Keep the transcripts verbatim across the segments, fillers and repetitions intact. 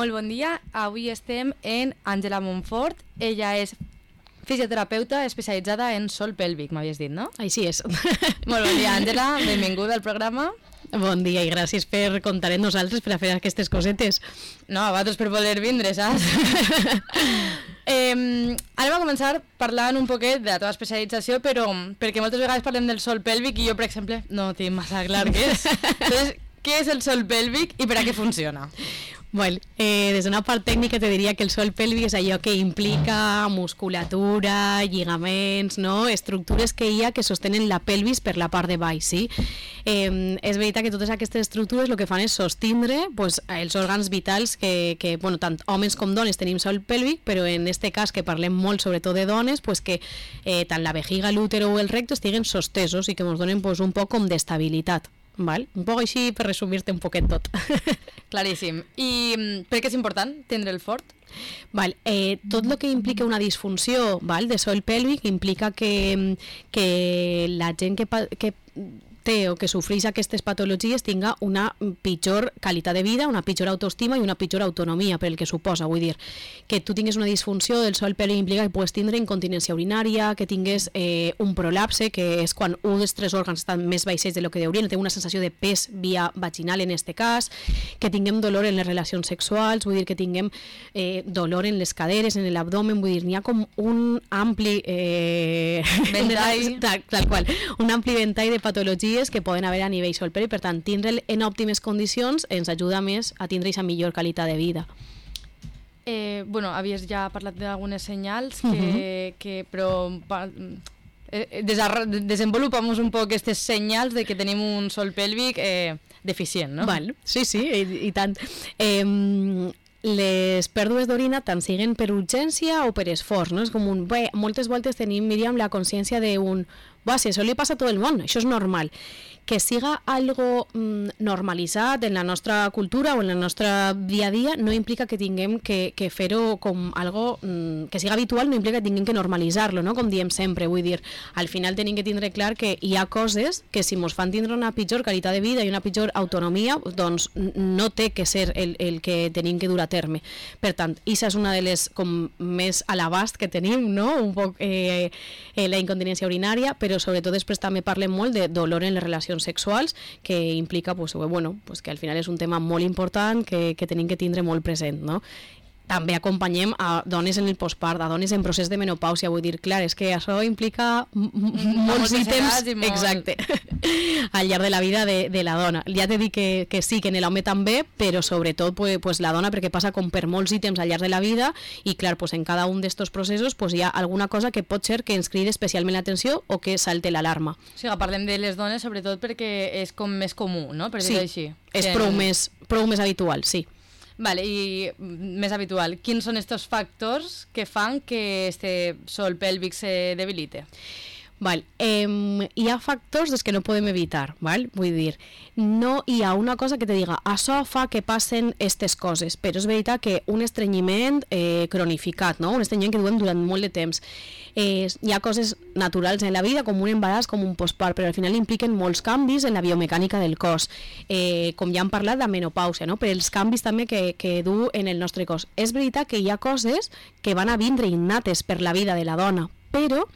Molt bon dia, avui estem en Àngela Montfort, ella és fisioterapeuta especialitzada en sòl pèlvic, m'havies dit, no? Així és. Molt bon dia, Àngela, benvinguda al programa. Bon dia i gràcies per comptar amb nosaltres per a fer aquestes cosetes. No, a vosaltres per voler vindre, saps? eh, anem a començar parlant un poquet de la teva especialització, però perquè moltes vegades parlem del sòl pèlvic i jo, per exemple, no tinc massa clar què és. Entonces, què és el sòl pèlvic i per a què funciona? Bueno, eh, des d'una part tècnica te diria que el sòl pèlvic és allò que implica musculatura, lligaments, no? Estructures que hi ha que sostenen la pelvis per la part de baix, sí? Eh, és veritat que totes aquestes estructures el que fan és sostindre pues, els òrgans vitals que, que bueno, tant homes com dones tenim sòl pèlvic, però en este cas que parlem molt sobretot de dones, pues, que eh, tant la vejiga, l'útero o el recte estiguen sostesos i que ens donen pues, un poc com d'estabilitat. Val? Un poc així per resumir-te un poquet tot. Claríssim. I per què és important tindre el fort? Val, eh, tot el que implica una disfunció, val, de sòl pèlvic implica que, que la gent que, que té o que sofreix aquestes patologies tinga una pitjor qualitat de vida, una pitjor autoestima i una pitjor autonomia per el que suposa, vull dir, que tu tingues una disfunció del sòl pèlvic implica que pugues tindre incontinència urinària, que tingues eh, un prolapse, que és quan un dels tres òrgans estan més baixets de lo que deurien, té una sensació de pes via vaginal en este cas, que tinguem dolor en les relacions sexuals, vull dir que tinguem eh, dolor en les caderes, en l'abdomen, vull dir, n'hi ha com un ampli eh, ventall, tal, tal qual, un ampli ventall de patologies que poden haver a nivell sòl pèlvic, per tant, tindre'l en òptimes condicions ens ajuda més a tindre aquesta millor qualitat de vida. Eh, bueno, havies ja parlat d'algunes senyals, que, uh-huh. que, però eh, desenvolupamos un poc aquestes senyals de que tenim un sòl pèlvic eh, deficient, no? Val, sí, sí, i, i tant. Eh, les pèrdues d'orina tant siguen per urgència o per esforç, no? És com un... Bé, moltes voltes tenim, Míriam, la consciència d'un... Va, si això li passa a tot el món, això és normal. Que siga algo mm, normalitzat en la nostra cultura o en el nostre dia a dia no implica que tinguem que, que fer-ho com algo mm, que siga habitual, no implica que tinguem que normalitzar-lo, no? Com diem sempre, vull dir, al final tenim que tindre clar que hi ha coses que si ens fan tindre una pitjor qualitat de vida i una pitjor autonomia, doncs no té que ser el, el que tenim que dur a terme. Per tant, aquesta és una de les com més a l'abast que tenim, no? Un poc eh, eh, la incontinència urinària, però sobretot després també parlem molt de dolor en les relacions sexuals, que implica pues, bueno, pues que al final és un tema molt important que, que tenim que tindre molt present, no? També acompanyem a dones en el postpart, a dones en procés de menopàusia, vull dir, clar, és que això implica molts ítems molt... exacte, al llarg de la vida de, de la dona. Ja t'he dit que, que sí, que en l'home també, però sobretot pues, pues, la dona, perquè passa com per molts ítems al llarg de la vida i clar, pues, en cada un d'estos processos pues, hi ha alguna cosa que pot ser que ens cridi especialment l'atenció o que salte l'alarma. O sigui, parlem de les dones sobretot perquè és com més comú, no? Per dir-ho així. És que... prou, més, prou més habitual, sí. Vale, i més habitual, quins són estos factors que fan que este sòl pèlvic se debilite? Val, eh, hi ha factors des que no podem evitar, val? Vull dir, no hi ha una cosa que te diga això fa que passen aquestes coses, però és veritat que un estrenyiment eh, cronificat, no? Un estrenyiment que duem durant molt de temps. Eh, hi ha coses naturals en la vida, com un embaràs, com un postpart, però al final impliquen molts canvis en la biomecànica del cos, eh, com ja hem parlat de menopàusia, no? Per els canvis també que, que du en el nostre cos. És veritat que hi ha coses que van a vindre innates per la vida de la dona, però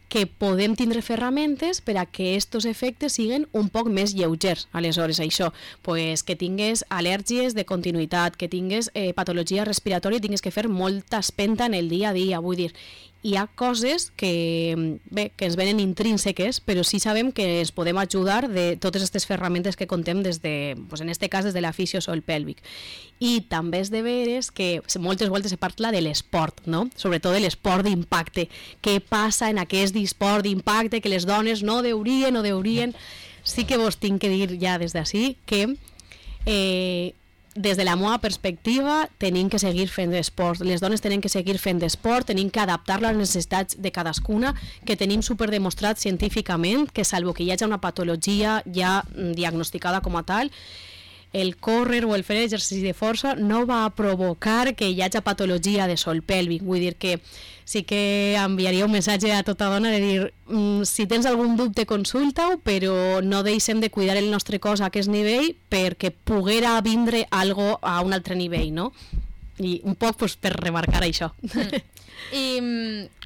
que podem tindre ferramentes per a que estos efectes siguin un poc més lleugers. Aleshores, això, pues, que tingues al·lèrgies de continuïtat, que tingues eh, patologia respiratòria i tingues que fer molta espenta en el dia a dia, vull dir, hi ha coses que, bé, que ens venen intrínseques, però sí sabem que ens podem ajudar de totes aquestes ferramentes que contem des de, pues en este cas, des de la fisio sòl pèlvic. I també és de veres que moltes voltes se parla de l'esport, no? Sobretot de l'esport d'impacte. Què passa en aquest esport d'impacte que les dones no deurien o deurien? Sí que vos tinc que dir ja des d'ací que eh, des de la meva perspectiva tenim que seguir fent esport, les dones tenen que seguir fent esport, tenim que adaptar-lo a les necessitats de cadascuna, que tenim superdemostrat científicament que salvo que hi hagi una patologia ja diagnosticada com a tal, el córrer o el fer exercici de força no va a provocar que hi hagi patologia de sòl pèlvic. Vull dir que sí que enviaria un missatge a tota dona de dir mm, si tens algun dubte consulta-ho, però no deixem de cuidar el nostre cos a aquest nivell perquè poguera vindre algo a un altre nivell, no? i un poc pues, per remarcar això. Mm. I,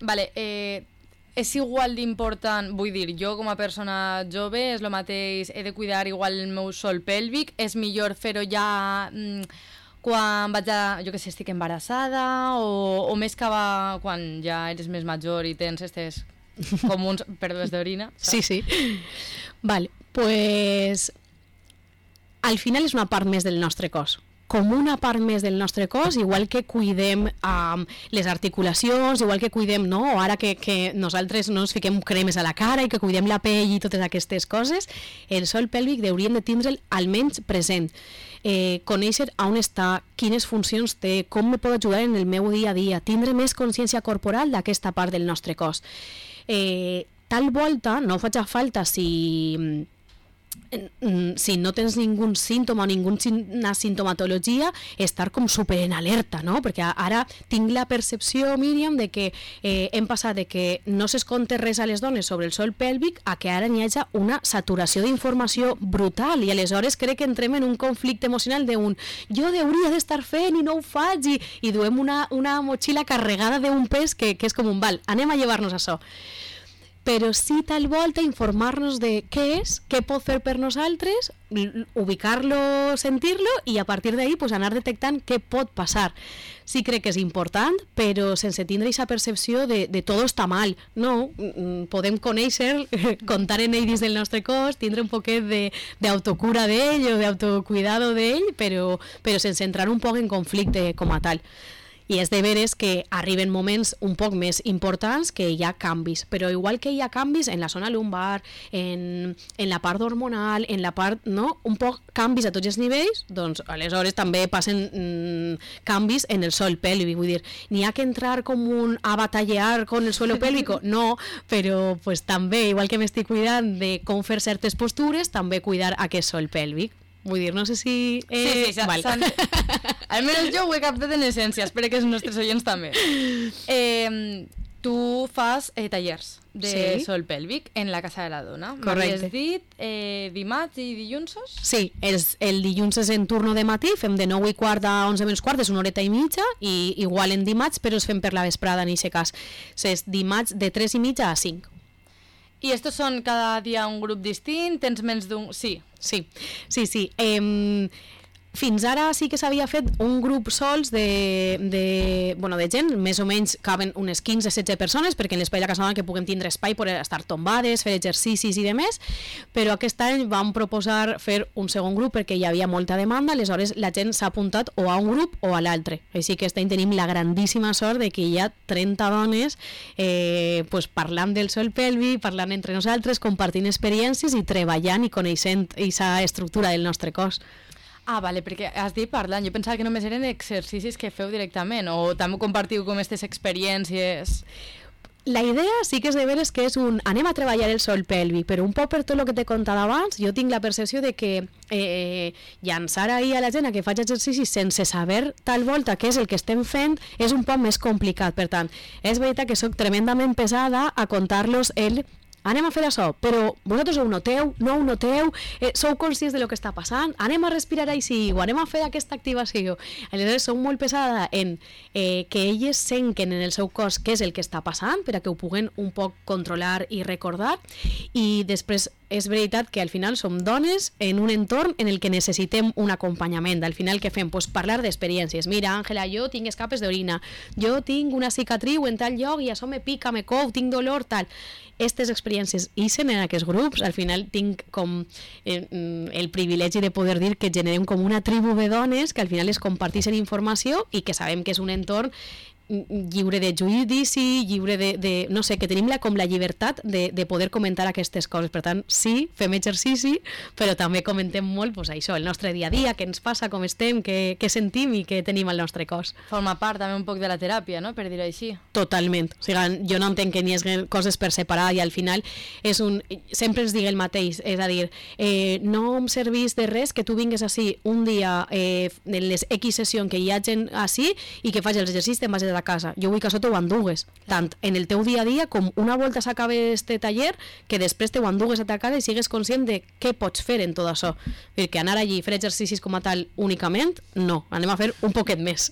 vale, eh, és igual d'important, vull dir, jo com a persona jove és el mateix, he de cuidar igual el meu sòl pèlvic, és millor fer-ho ja mm, quan vaig a, jo que sé, estic embarassada o, o més que va quan ja eres més major i tens estes com uns pèrdues d'orina. Sí, sí. Vale, pues al final és una part més del nostre cos. Com una part més del nostre cos, igual que cuidem um, les articulacions, igual que cuidem, no? O ara que, que nosaltres no ens fiquem cremes a la cara i que cuidem la pell i totes aquestes coses, el sòl pèlvic hauríem de tindre'l almenys present. Eh, conèixer on està, quines funcions té, com me pot ajudar en el meu dia a dia, tindre més consciència corporal d'aquesta part del nostre cos. Eh, tal volta, no faig falta si... si no tens ningun símptoma o ninguna sintomatologia, estar com super en alerta, no? Perquè ara tinc la percepció, Míriam, de que eh, hem passat de que no s'esconte res a les dones sobre el sòl pèlvic a que ara n'hi hagi una saturació d'informació brutal i aleshores crec que entrem en un conflicte emocional d'un jo hauria d'estar fent i no ho faig i, i duem una, una motxilla carregada d'un pes que, que és com un val, anem a llevar-nos això. Però sí tal volta informar-nos de què és, què pot fer per nosaltres, ubicar-lo, sentir-lo i a partir d'ahí pues, anar detectant què pot passar. Sí crec que és important, però sense tindre aquesta percepció de, de tot està mal. No, podem conèixer, contar en ell dins del nostre cos, tindre un poquet d'autocura d'ell o d'autocuidado d'ell, però, però sense entrar un poc en conflicte com a tal. I és de veres que arriben moments un poc més importants que hi ha canvis, però igual que hi ha canvis en la zona lumbar, en, en la part hormonal, en la part, no? Un poc canvis a tots els nivells, doncs aleshores també passen mm, canvis en el sòl pèlvic, vull dir, n'hi ha que entrar com un a batallar con el suelo pélvico? No, però pues, també, igual que m'estic cuidant de com fer certes postures, també cuidar aquest sòl pèlvic. Vull dir, no sé si... Eh... Sí, sí, vale. Almenys jo ho he captat en essència, espero que els nostres oients també. Eh, tu fas eh, tallers de sí. Sòl pèlvic en la Casa de la Dona. Correcte. M'havies dit eh, dimarts i dilluns? Sí, els, el dilluns és en turno de matí, fem de nou i quart a onze menys quart, és una horeta i mitja, i igual en dimarts, però es fem per la vesprada en aquest cas. És dimarts de tres i mitja a cinc. I estos són cada dia un grup distint? Tens menys d'un... Sí. Sí, sí, sí. Eh, fins ara sí que s'havia fet un grup sols de, de, bueno, de gent, més o menys caben unes quinze a setze persones, perquè en l'espai de la Casa de la Dona que puguem tindre espai per estar tombades, fer exercicis i demés, però aquest any vam proposar fer un segon grup perquè hi havia molta demanda, aleshores la gent s'ha apuntat o a un grup o a l'altre. Així que aquest any tenim la grandíssima sort de que hi ha trenta dones eh, pues, parlant del sòl pèlvic, parlant entre nosaltres, compartint experiències i treballant i coneixent aquesta estructura del nostre cos. Ah, vale, perquè has dit parlant. Jo pensava que només eren exercicis que feu directament o també compartiu com aquestes experiències. La idea sí que és de veres que és un anem a treballar el sòl pèlvic, però un poc per tot el que t'he contat abans, jo tinc la percepció de que eh, llançar ahir a la gent a que faig exercicis sense saber tal volta què és el que estem fent és un poc més complicat. Per tant, és veritat que soc tremendament pesada a contar-los el anem a fer això, però vosaltres ho noteu, no ho noteu, eh, sou conscients de lo que està passant, anem a respirar així, o anem a fer aquesta activació. Aleshores, sou molt pesada en eh, que elles senquen en el seu cos què és el que està passant, per a que ho puguen un poc controlar i recordar, i després és veritat que al final som dones en un entorn en el que necessitem un acompanyament. Al final què fem? Pues parlar d'experiències. Mira, Àngela, jo tinc escapes d'orina, jo tinc una cicatriu en tal lloc i això me pica, me cou, tinc dolor, tal. Aquestes experiències ixen en aquests grups, al final tinc com eh, el privilegi de poder dir que generem com una tribu de dones que al final es comparteixen informació i que sabem que és un entorn lliure de judici, lliure de, de no sé, que tenim la, com la llibertat de, de poder comentar aquestes coses. Per tant, sí, fem exercici, però també comentem molt pues, això, el nostre dia a dia, què ens passa, com estem, què, què sentim i què tenim al nostre cos. Forma part també un poc de la teràpia, no?, per dir-ho així. Totalment. O sigui, jo no entenc que n'hi hagi coses per separar i al final és un... sempre ens digue el mateix, és a dir, eh, no em servís de res que tu vingues així un dia eh, en les X sessions que hi ha gent així i que faig els exercicis, te'n vagis a a casa, jo vull que això t'ho endugues, tant en el teu dia a dia com una volta s'acabe este taller, que després t'ho endugues a ta casa i sigues conscient de què pots fer en tot això, perquè anar allí i fer exercicis com a tal únicament, no, anem a fer un poquet més.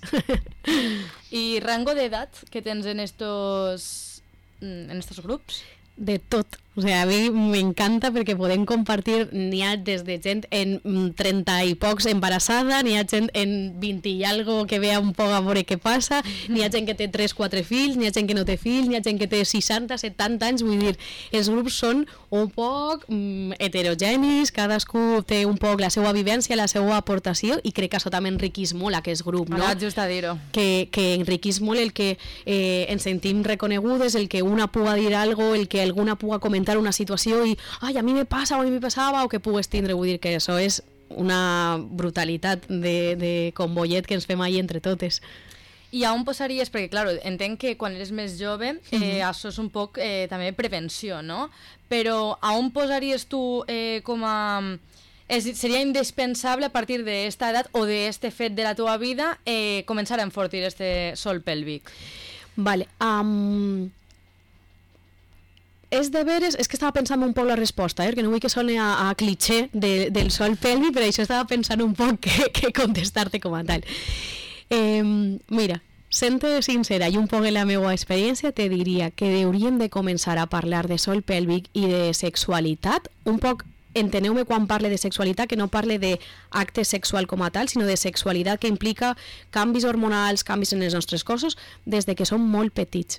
I rango d'edat que tens en estos, en estos grups? De tot, o sea, a mi m'encanta perquè podem compartir, n'hi ha des de gent en trenta i pocs embarassada, n'hi ha gent en vint i algo que vea un poc a veure què passa, n'hi ha gent que té tres quatre fills, n'hi ha gent que no té fills, n'hi ha gent que té seixanta, setanta anys, vull dir, els grups són un poc mm, heterogenis, cadascú té un poc la seva vivència, la seva aportació, i crec que això també enriquís molt aquest grup, no? Ara, just a dir-ho. Que, que enriquís molt el que eh, ens sentim reconegudes, el que una puga dir algo, el que alguna puga comentar una situació i ai, a mi me passa o a mi me passava, o que pugues tindre, vull dir que això és una brutalitat de, de convoyet que ens fem ahir entre totes. I on posaries, perquè clar, entenc que quan eres més jove eh, mm-hmm. això és un poc eh, també prevenció, no? Però on posaries tu eh, com a... És, seria indispensable a partir d'esta edat o d'este fet de la teva vida eh, començar a enfortir este sol pèlvic? Vale, um... és de veres, és que estava pensant un poc la resposta, eh? Que no vull que soni a, a cliché de, del sol pèlvic, però això estava pensant un poc que, que contestar-te com a tal. Eh, mira, sent-te sincera i un poc en la meva experiència, te diria que hauríem de començar a parlar de sol pèlvic i de sexualitat, un poc, enteneu-me quan parle de sexualitat, que no parle d'acte sexual com a tal, sinó de sexualitat que implica canvis hormonals, canvis en els nostres cossos, des de que som molt petits.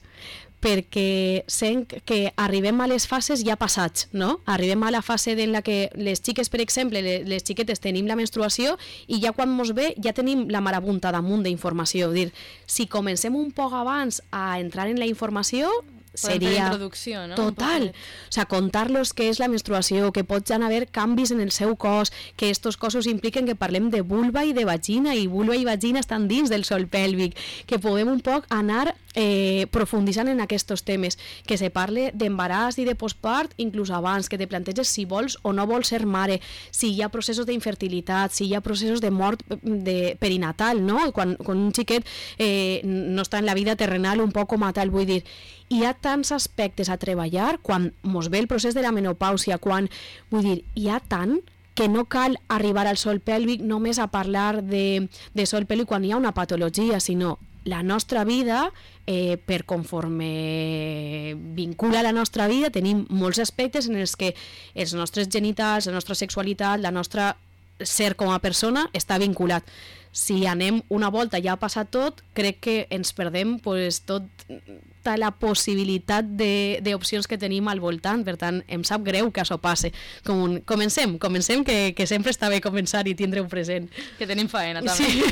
Perquè sent que arribem a les fases ja passats, no? Arribem a la fase en la que les xiques, per exemple, les, les xiquetes tenim la menstruació i ja quan mos ve ja tenim la marabunta damunt d'informació. Dir, si comencem un poc abans a entrar en la informació, seria introducció, no? Total, o sea, contar-los què és la menstruació, que poden haver canvis en el seu cos, que estos cossos impliquen que parlem de vulva i de vagina, i vulva i vagina estan dins del sol pèlvic, que podem un poc anar eh, profunditzant en aquests temes, que se parle d'embaràs i de postpart inclús abans, que te planteges si vols o no vols ser mare, si hi ha processos d'infertilitat, si hi ha processos de mort de perinatal, no? Quan, quan un xiquet eh, no està en la vida terrenal un poc com a tal, vull dir, hi ha tants aspectes a treballar quan mos ve el procés de la menopàusia, quan, vull dir, hi ha tant que no cal arribar al sol pèlvic només a parlar de, de sol pèlvic quan hi ha una patologia, sinó la nostra vida, eh, per conforme vincula la nostra vida, tenim molts aspectes en els que els nostres genitals, la nostra sexualitat, la nostra ser com a persona està vinculat. Si anem una volta ja ha passat tot, crec que ens perdem pues, tota la possibilitat d'opcions que tenim al voltant, per tant, em sap greu que això passe. Com un, comencem, comencem, que, que sempre està bé començar i tindre un present. Que tenim faena, també. Sí.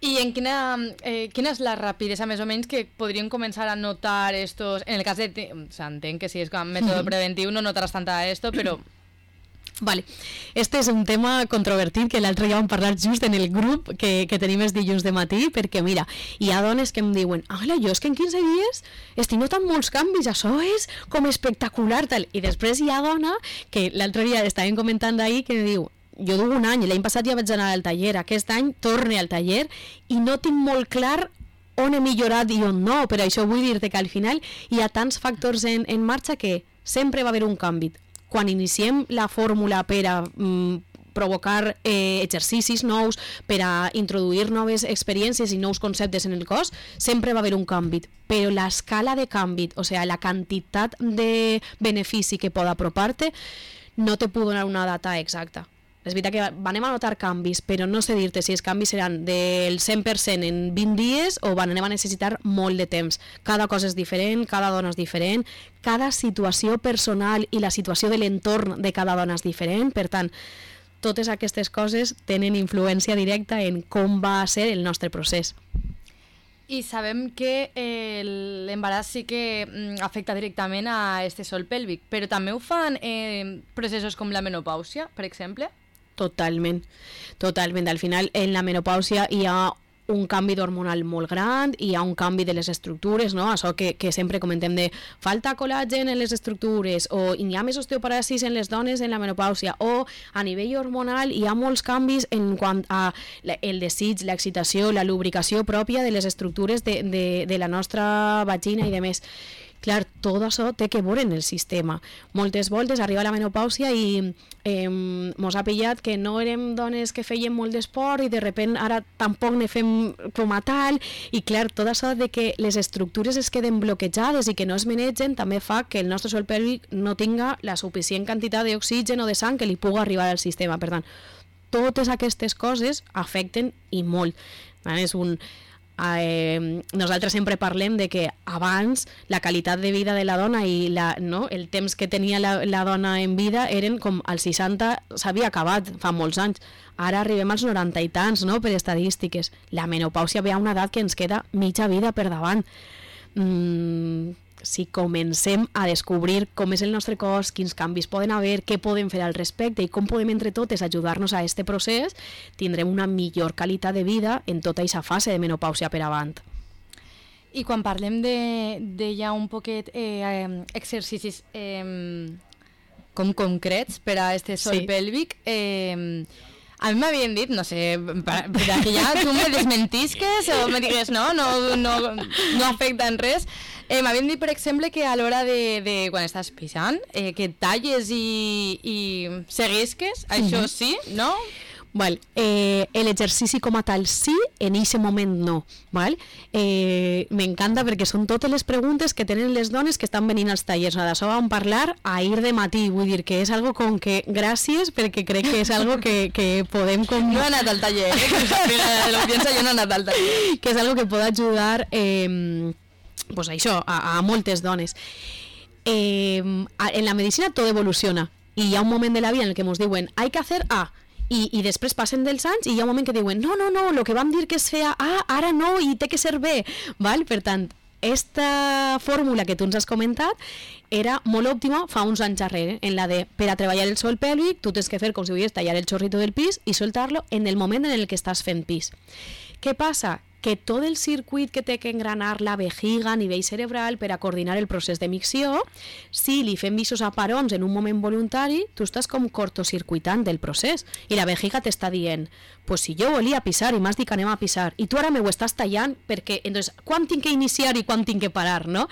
I en quina, eh, quina és la rapidesa, més o menys, que podríem començar a notar estos... En el cas de... O sea, entenc que si és com mètode preventiu no notaràs tanta esto, però... Vale. Este és un tema controvertit que l'altre dia vam parlar just en el grup que, que tenim els dilluns de matí, perquè mira, hi ha dones que em diuen ala, jo és que en quinze dies estic notant molts canvis, això és com espectacular tal, i després hi ha dona que l'altre dia estàvem comentant ahir que diu, jo duc un any, l'any passat ja vaig anar al taller, aquest any torne al taller i no tinc molt clar on he millorat i on no, però això vull dir-te que al final hi ha tants factors en, en marxa que sempre va haver un canvi. Quan iniciem la fórmula per a mm, provocar eh, exercicis nous, per a introduir noves experiències i nous conceptes en el cos, sempre va haver un canvi. Però l'escala de canvi, o sigui, la quantitat de benefici que pot apropar-te, no te puc donar una data exacta. És veritat que anem a notar canvis, però no sé dir-te si els canvis seran del cent per cent en vint dies o anem a necessitar molt de temps. Cada cosa és diferent, cada dona és diferent, cada situació personal i la situació de l'entorn de cada dona és diferent, per tant, totes aquestes coses tenen influència directa en com va ser el nostre procés. I sabem que eh, l'embaràs sí que mm, afecta directament a este sol pèlvic, però també ho fan eh, processos com la menopàusia, per exemple? Totalment, totalment. Al final, en la menopàusia hi ha un canvi hormonal molt gran, hi ha un canvi de les estructures, no? Això que, que sempre comentem de falta col·làgen en les estructures, o hi ha més osteoporosis en les dones en la menopàusia, o a nivell hormonal hi ha molts canvis en quant a el desig, l'excitació, la lubricació pròpia de les estructures de, de, de la nostra vagina i de més. Clar, tot això té que veure en el sistema. Moltes voltes arriba la menopàusia i eh, mos ha pillat que no érem dones que feien molt d'esport i de repent ara tampoc ne fem com a tal, i clar, tot això de que les estructures es queden bloquejades i que no es manegen també fa que el nostre sòl pèlvic no tinga la suficient quantitat d'oxigen o de sang que li pugui arribar al sistema. Per tant, totes aquestes coses afecten i molt. És un... Eh, nosaltres sempre parlem de que abans la qualitat de vida de la dona i la, no, el temps que tenia la, la dona en vida eren com als seixanta s'havia acabat fa molts anys, ara arribem als noranta i tants, no, per estadístiques. La menopàusia ve a una edat que ens queda mitja vida per davant. mm, si comencem a descobrir com és el nostre cos, quins canvis poden haver, què podem fer al respecte i com podem entre totes ajudar-nos a aquest procés, tindrem una millor qualitat de vida en tota aquesta fase de menopàusia per avant. I quan parlem de, de ja un poquet eh, exercicis eh, com concrets per a este sòl sí. pèlvic, eh, a mi m'havien dit, no sé, per, per que ja tu me desmentisques o me digues no, no, no, no afecta en res. Eh, M'havien dit, per exemple, que a l'hora de, de quan estàs pixant, eh, que talles i, i seguisques, això sí, no? Val. Eh, l'exercici com a tal sí, en aquest moment no. Val? Eh, M'encanta perquè són totes les preguntes que tenen les dones que estan venint als tallers. D'això vam parlar ahir de matí, vull dir que és algo com que gràcies, perquè crec que és algo que, que podem... Com... No he anat al taller, eh? L'audiència jo no he anat al taller. Que és algo que pot ajudar eh, pues això, a, a moltes dones. Eh, en la medicina tot evoluciona i hi ha un moment de la vida en el que ens diuen hay que hacer A, I, i després passen dels anys i hi ha un moment que diuen no, no, no, el que vam dir que es feia A, ara no, i té que ser B, val? Per tant, esta fórmula que tu ens has comentat era molt òptima fa uns anys darrere, en la de per a treballar el sòl pèlvic tu tens que fer com si volgués tallar el xorrito del pis i soltar-lo en el moment en el que estàs fent pis. Què passa? Que tot el circuit que té que engranar la vejiga a nivell cerebral per a coordinar el procés de micció, si li fem visos aparons en un moment voluntari, tu estàs com cortocircuitant del procés i la vejiga t'està dient pues si jo volia pisar i m'has dit que anem a pisar i tu ara me ho estàs tallant perquè entonces, quan tinc que iniciar i quan tinc que parar, no?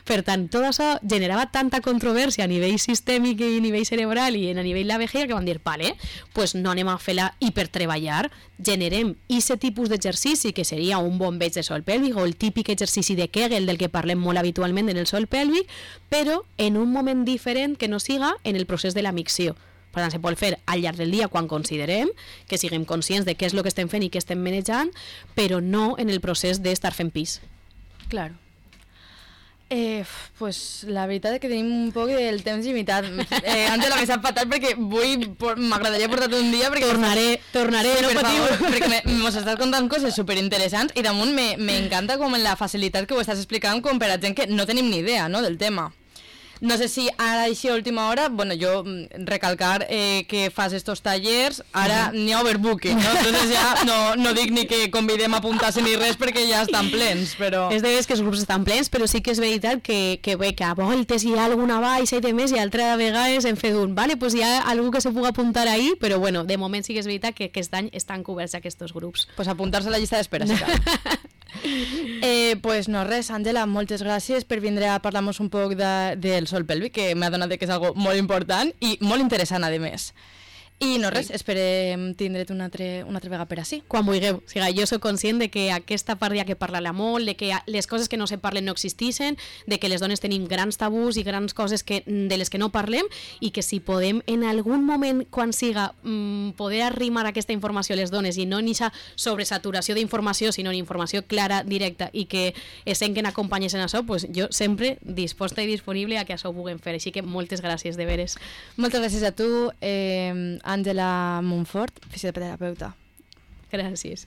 Per tant, tot això generava tanta controvèrsia a nivell sistèmic i a nivell cerebral i a nivell de la vejiga que van dir, vale, pues no anem a fer-la hipertreballar, generem aquest tipus d'exercici que seria un bombeig de sòl pèlvic o el típic exercici de Kegel del que parlem molt habitualment en el sòl pèlvic, però en un moment diferent que no siga en el procés de la micció. Per tant, se pot fer al llarg del dia quan considerem, que siguem conscients de què és el que estem fent i què estem manejant, però no en el procés d'estar fent pis. Claro. Eh, pues la veritat és que tenim un poc del temps limitat. Eh, Àngela, me sap fatal perquè vull, m'agradaria portar-te un dia perquè... Tornaré, tornaré, no patiu. Perquè mos estàs contant coses superinteressants i damunt m'encanta com la facilitat que ho estàs explicant com per a gent que no tenim ni idea, no, del tema. No sé si ara així a última hora, bueno, jo recalcar eh, que fas estos tallers, ara n'hi ha overbooking, no? Entonces ja no, no dic ni que convidem a apuntar-se ni res perquè ja estan plens, però... És de veres que els grups estan plens, però sí que és veritat que, que bé, que a voltes hi ha alguna baixa i de més i altra vegades en fet un, vale, pues hi ha algú que se pugui apuntar ahí, però bueno, de moment sí que és veritat que aquest any estan coberts aquests grups. Pues apuntar-se a la llista d'espera, sí cal. Eh, pues no res, Àngela, moltes gràcies per vindre a parlar-nos un poc de, del sòl pèlvic, que m'ha donat que és algo molt important i molt interessant, a més. I no res, esperem tindre't una altra, una altra vegada per ací. Quan vulgueu. O sigui, jo soc conscient de que aquesta part hi ha que parlar-la molt, de que les coses que no se parlen no existeixen, de que les dones tenim grans tabús i grans coses que, de les que no parlem i que si podem en algun moment, quan siga, mmm, poder arrimar aquesta informació a les dones i no en aquesta sobresaturació d'informació, sinó en informació clara, directa i que es senten acompanyes en això, pues jo sempre disposta i disponible a que això ho puguem fer. Així que moltes gràcies, de veres. Moltes gràcies a tu, eh, Àngela Montfort, fisioterapeuta. Gràcies.